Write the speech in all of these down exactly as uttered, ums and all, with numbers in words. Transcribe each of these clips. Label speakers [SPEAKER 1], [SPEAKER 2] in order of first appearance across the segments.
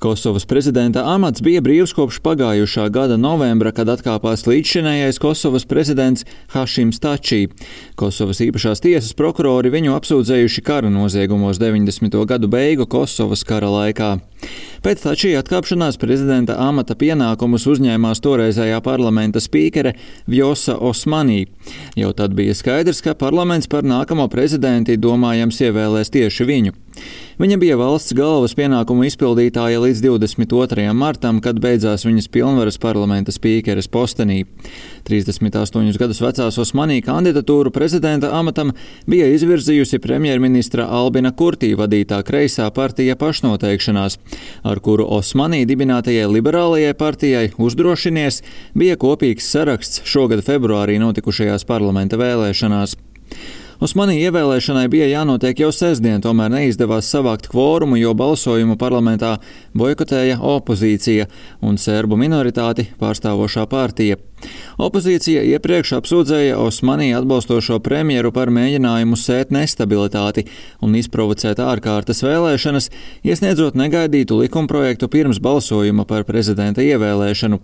[SPEAKER 1] Kosovas prezidenta amats bija brīvs kopš pagājušā gada novembra, kad atkāpās līdzšinējais Kosovas prezidents Hašims Tačī. Kosovas īpašās tiesas prokurori viņu apsūdzējuši kara noziegumos deviņdesmito gadu beigu Kosovas kara laikā. Pēc Tačī atkāpšanās prezidenta amata pienākumus uzņēmās toreizējā parlamenta spīkere Vjosa Osmanī. Jau tad bija skaidrs, ka parlaments par nākamo prezidenti domājams ievēlēs tieši viņu. Viņa bija valsts galvas pienākumu izpildītāja līdz divdesmit otrajam martam, kad beidzās viņas pilnvaras parlamenta spīkeres postenī. trīsdesmit astoņus gadus vecās Osmanī kandidatūru prezidenta amatam bija izvirzījusi premjerministra Albina Kurtī vadītā kreisā partija Pašnoteikšanās, ar kuru Osmanī dibinātajai liberālajai partijai Uzdrošinies bija kopīgs saraksts šogad februārī notikušajās parlamenta vēlēšanās. Osmanī ievēlēšanai bija jānotiek jau sestdien, tomēr neizdevās savākt kvorumu, jo balsojumu parlamentā boikotēja opozīcija un serbu minoritāti pārstāvošā partija. Opozīcija iepriekš apsūdzēja Osmanī atbalstošo premjeru par mēģinājumu sēt nestabilitāti un izprovocēt ārkārtas vēlēšanas, iesniedzot negaidītu likumprojektu pirms balsojuma par prezidenta ievēlēšanu.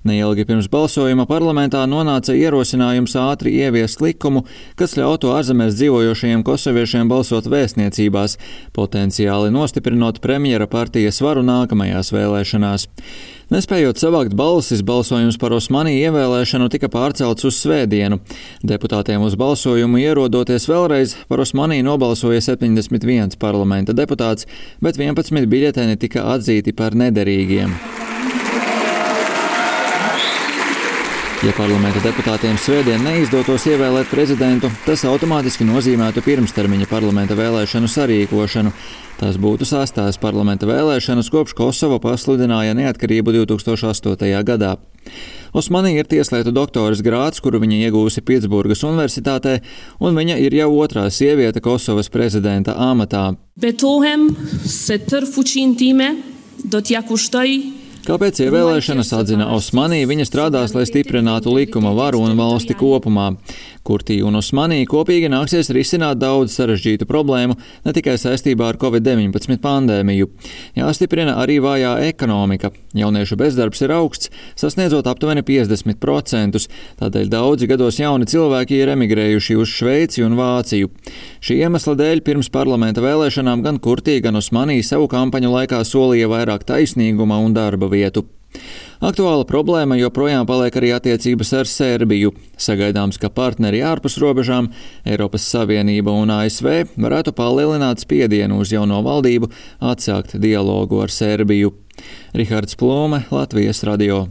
[SPEAKER 1] Neilgi pirms balsojuma parlamentā nonāca ierosinājums ātri ieviest likumu, kas ļautu ārzemēs dzīvojošajiem kosoviešiem balsot vēstniecībās, potenciāli nostiprinot premjera partijas varu nākamajās vēlēšanās. Nespējot savākt balsis, balsojums par Osmanī ievēlēšanu tika pārcelts uz svētdienu. Deputātiem uz balsojumu ierodoties vēlreiz, par Osmanī nobalsoja septiņdesmit viens parlamenta deputāts, bet vienpadsmit biļeteni tika atzīti par nederīgiem. Ja parlamenta deputātiem svētdien neizdotos ievēlēt prezidentu, tas automātiski nozīmētu pirmstermiņa parlamenta vēlēšanu sarīkošanu. Tās būtu sastās parlamenta vēlēšanas, kopš Kosova pasludināja neatkarību divtūkstoš astotajā gadā. Osmanī ir tieslietu doktoras grāds, kuru viņa iegūsi Pitsburgas universitātē, un viņa ir jau otrā sieviete Kosovas prezidenta amatā.
[SPEAKER 2] Betohem se tërë fuqinë time do t'ja kushtoj.
[SPEAKER 1] Kāpēc ievēlēšanas atzina Osmanī, viņa strādās, lai stiprinātu likuma varu un valsti kopumā. Kurtī un Osmanī kopīgi nāksies risināt daudz sarežģītu problēmu, ne tikai saistībā ar covid deviņpadsmit pandēmiju. Jāstiprina arī vājā ekonomika. Jauniešu bezdarbs ir augsts, sasniedzot aptuveni piecdesmit procentus, tādēļ daudzi gados jauni cilvēki ir emigrējuši uz Šveici un Vāciju. Šī iemesla dēļ pirms parlamenta vēlēšanām gan Kurtī, gan Osmanī savu kampaņu laikā solīja vairāk taisnīguma un darba vietu. Aktuāla problēma joprojām paliek arī attiecības ar Serbiju. Sagaidāms, ka partneri ārpus robežām, Eiropas Savienība un A S V varētu palielināt spiedienu uz jauno valdību atsākt dialogu ar Serbiju. Rihards Plūme, Latvijas radio.